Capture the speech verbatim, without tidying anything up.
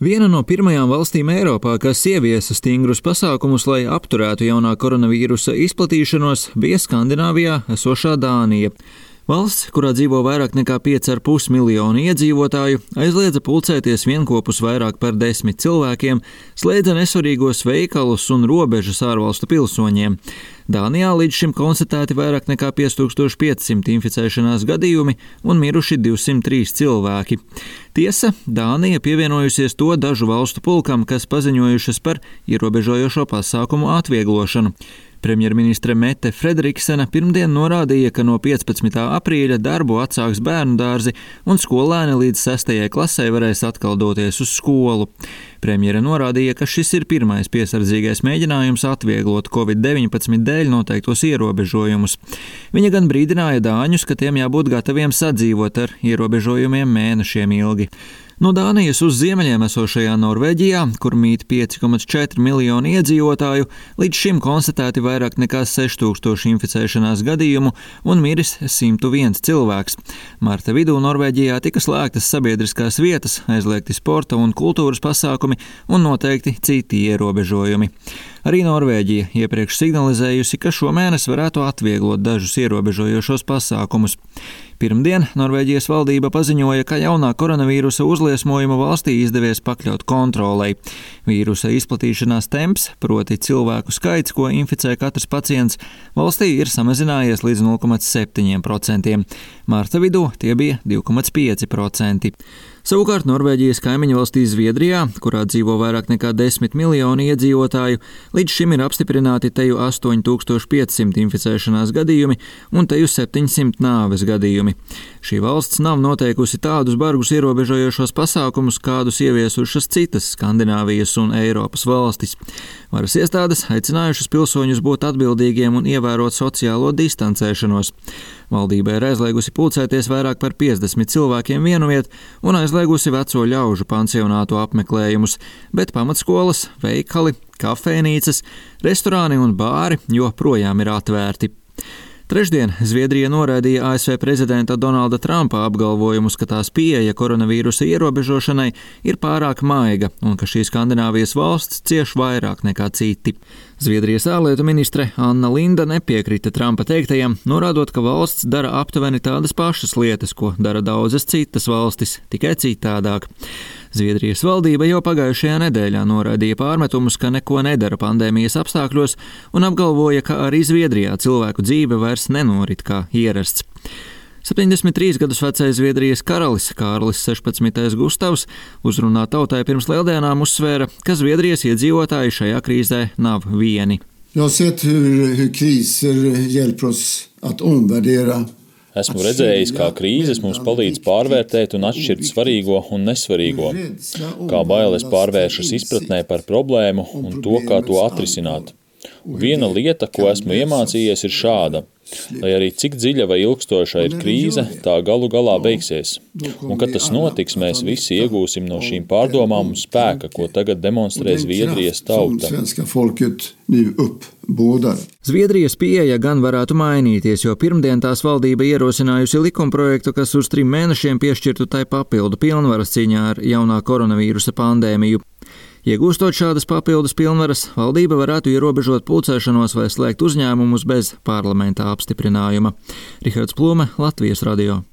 Viena no pirmajām valstīm Eiropā, kas ieviesa stingrus pasākumus, lai apturētu jaunā koronavīrusa izplatīšanos, bija Skandināvijā esošā Dānija. Valsts, kurā dzīvo vairāk nekā pieci ar pus miljoni iedzīvotāju, aizliedza pulcēties vienkopus vairāk par desmit cilvēkiem, slēdza nesvarīgos veikalus un robežas ārvalstu pilsoņiem. Dānijā līdz šim konstatēti vairāk nekā pieci tūkstoši pieci simti inficēšanās gadījumi un miruši divsimt trīs cilvēki. Tiesa, Dānija pievienojusies to dažu valstu pulkam, kas paziņojušas par ierobežojošo pasākumu atvieglošanu. Premjerministre Mette Frederiksena pirmdien norādīja, ka no piecpadsmitā aprīļa darbu atsāks bērnu dārzi un skolēni līdz sestajai klasei varēs atkal doties uz skolu. Premjere norādīja, ka šis ir pirmais piesardzīgais mēģinājums atvieglot covid deviņpadsmit dēļ noteiktos ierobežojumus. Viņa gan brīdināja dāņus, ka tiem jābūt gataviem sadzīvot ar ierobežojumiem mēnešiem ilgi. No Dānijas uz ziemeļiem esošajā Norvēģijā, kur mīt pieci komats četri miljoni iedzīvotāju, līdz šim konstatēti vairāk nekā seši tūkstoši inficēšanās gadījumu un miris simt viens cilvēks. Marta vidū Norvēģijā tika slēgtas sabiedriskās vietas, aizliegti sporta un kultūras pasākumi un noteikti citi ierobežojumi. Arī Norvēģija iepriekš signalizējusi, ka šomēnes varētu atvieglot dažus ierobežojošos pasākumus. Pirmdien Norvēģijas valdība paziņoja, ka jaunā koronavīrusa uzliesmojuma valstī izdevies pakļaut kontrolei. Vīrusa izplatīšanās temps, proti cilvēku skaits, ko inficē katrs pacients, valstī ir samazinājies līdz nulle komats septiņi procenti. Marta vidū tie bija divi komats pieci procenti. Savukārt Norvēģijas kaimiņu valstī Zviedrijā, kurā dzīvo vairāk nekā desmit miljoni iedzīvotāju, līdz šim ir apstiprināti teju astoņi tūkstoši pieci simti inficēšanās gadījumi un teju septiņsimt nāves gadījumi. Šī valsts nav noteikusi tādus bargus ierobežojošos pasākumus, kādus ieviesušas citas Skandināvijas un Eiropas valstis. Varas iestādes aicinājušas pilsoņus būt atbildīgiem un ievērot sociālo distancēšanos. Valdība ir aizliegusi pulcēties vairāk par piecdesmit cilvēkiem vienviet un aizliegusi veco ļaužu pansionātu apmeklējumus, bet pamatskolas, veikali, kafejnīcas, restorāni un bāri joprojām ir atvērti. Trešdien Zviedrija noraidīja A S V prezidenta Donalda Trumpa apgalvojumus, ka tās pieeja koronavīrusa ierobežošanai ir pārāk maiga un ka šī Skandināvijas valsts cieš vairāk nekā citi. Zviedrijas ārlietu ministre Anna Linda nepiekrita Trumpa teiktajam, norādot, ka valsts dara aptuveni tādas pašas lietas, ko dara daudzas citas valstis, tikai citādāk. Zviedrijas valdība jau pagājušajā nedēļā noraidīja pārmetumus, ka neko nedara pandēmijas apstākļos un apgalvoja, ka arī Zviedrijā cilvēku dzīve vairs nenorit kā ierasts. septiņdesmit trīs gadus vecais Zviedrijas karalis Kārlis sešpadsmitais Gustavs uzrunā tautai pirms lieldienām uzsvēra, ka Zviedrijas iedzīvotāji šajā krīzē nav vieni. Jag har sett hur kriser hjälper oss att omvärdera. Esmu redzējis, kā krīzes mums palīdz pārvērtēt un atšķirt svarīgo un nesvarīgo, kā bailes pārvēršas izpratnē par problēmu un to, kā to atrisināt. Un viena lieta, ko esmu iemācījies, ir šāda. Lai arī cik dziļa vai ilgstoša ir krīze, tā galu galā beigsies. Un, kad tas notiks, mēs visi iegūsim no šīm pārdomām un spēka, ko tagad demonstrē Zviedrijas tauta. Zviedrijas pieeja gan varētu mainīties, jo pirmdien tās valdība ierosinājusi likumprojektu, kas uz trim mēnešiem piešķirtu tai papildu pilnvaras cīņā ar jaunā koronavīrusa pandēmiju. Iegūstot šādas papildus pilnvaras, valdība varētu ierobežot pulcēšanos vai slēgt uzņēmumus bez parlamenta apstiprinājuma. Rihards Plūme, Latvijas radio.